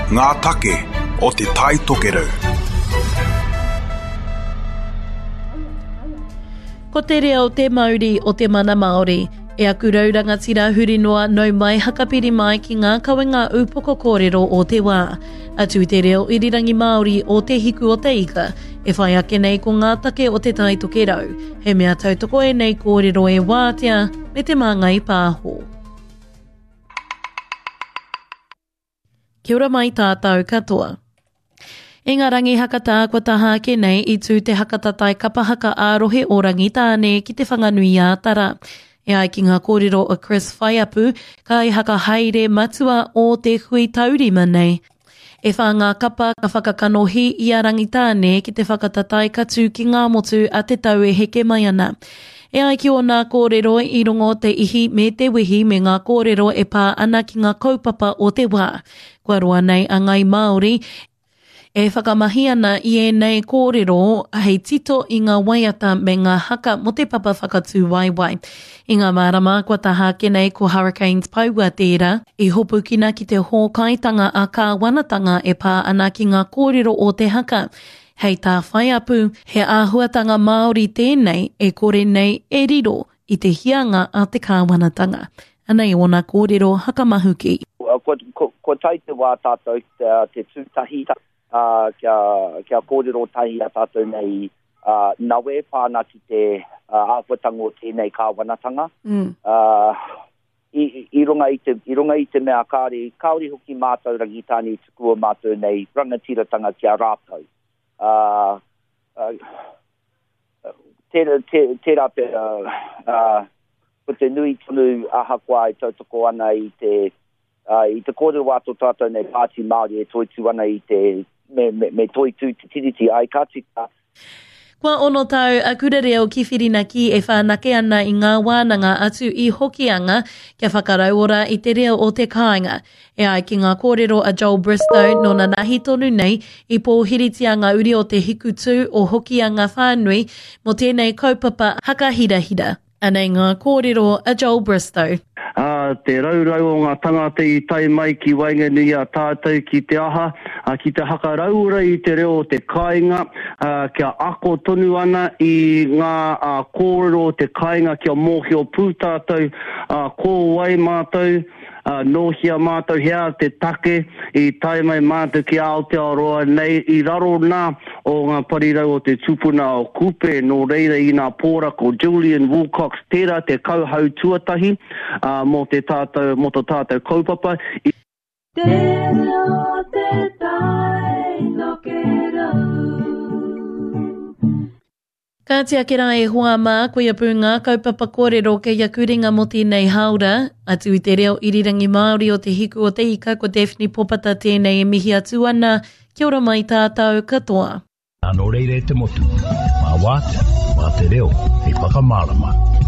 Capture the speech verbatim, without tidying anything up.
Ngā take o Te Tai Tokerau. Ko te reo te mauri o te mana Māori. E aku rau rangatira huri noa nau mai hakapiri mai ki ngā kawenga ūpoko kōrero o te wā. Atu i te reo irirangi Māori o Te Hiku o Te Ika, e whai ake nei ko ngā take o Te Tai Tokerau. He mea tautoko ēnei kōrero e Wātea me Te Māngai Pāho. Kia ora mai tātou katoa. I ngā rangi hakatā kua taha ake nei i tū te hakatatai kapa haka ā-rohe o Rangitāne ki Te Whanganui-ā-Tara. E ai ki ngā kōrero a Chris Whaiapu, kaihakahaere matua o te hui taurima nei. E whā ngā kapa ka whakakanohi i a Rangitāne ki te whakatatai ka tū ki ngā motu a te tau e heke mai ana. E ai ki ōna kōrero i rongo te ihi me te wehi me ngā kōrero e pā ana ki ngā kaupapa o te wā. Kua roa nei a Ngāi Māori e whakamahi ana i ēnei kōrero hei tito i ngā waiata me ngā haka mō te papa whakatū waewae. I ngā marama kua taha ake nei ko Hurricanes Poua tērā i hopukina ki te hōkaitanga ā-kāwanatanga e pā ana ki ngā kōrero o te haka. Hei tā Whaiapu, he āhuatanga Māori tēnei e kore nei e riro i te hianga a te kāwanatanga. Anei ōna kōrero hakamahuki. Kua, kua, kua tae te wā tātou te tū tahi, uh, kia, kia kōrero tahi a tātou nei uh, nawe pāna ki te uh, āhuatanga o tēnei kāwanatanga. Mm. Uh, i, i, runga i, te, i runga i te mea kāre, kāore hoki mātou Rangitāne i tukua mātou nei rangatiratanga ki a rātou. Uh, uh, tērā, tērā, tērā pea, uh, ko te nui tonu ahakoa e tautoko ana i te, uh, i te kōrero a tō tātou nei Pāti Māori e toitū ana i te, me, me, me toitū te tiriti ai ka tika. Kua ono tau a Kura Reo ki Whirinaki e whanake ana i ngā wānanga atu i Hokianga kia whakarauora i te reo o te kāinga. E ai ki ngā kōrero a Joel Bristow nō nanahi tonu nei i pōhiritia ngā uri o te hikutū o Hokianga whānui mō tēnei kaupapa hakahirahira. Anei ngā kōrero a Joel Bristow. Uh, te raurau o ngā tangata i tae mai ki waenganui a tātou ki te aha, uh, ki te hakarauora i te reo o te kāinga, uh, kia ako tonu ana i ngā uh, kōrero o te kāinga kia mōhio pū tātou, uh, ko wai mātou, uh, nōhia mātou hea te take i tae mai mātou ki Aotearoa nei i raro nā o ngā parirau o te tupuna o Kupe, nō reira i nā pōra ko Julian Wilcox tērā te kauhau tuatahi uh, mō te tātou, mō tō tātou kaupapa. I Te reo te tai tokerau. Ka ake rā e hoa mā, koia pū ngā kaupapa kōrero kei aku ringa mō tēnei hāora. Atu i te reo irirangi Māori o Te Hiku o Te Ika, ko Daphne Popata tēnei e mihi atu ana. Kia ora mai tātou katoa. Nō reira e te motu, mā wātea, mā te reo, hei whakamārama.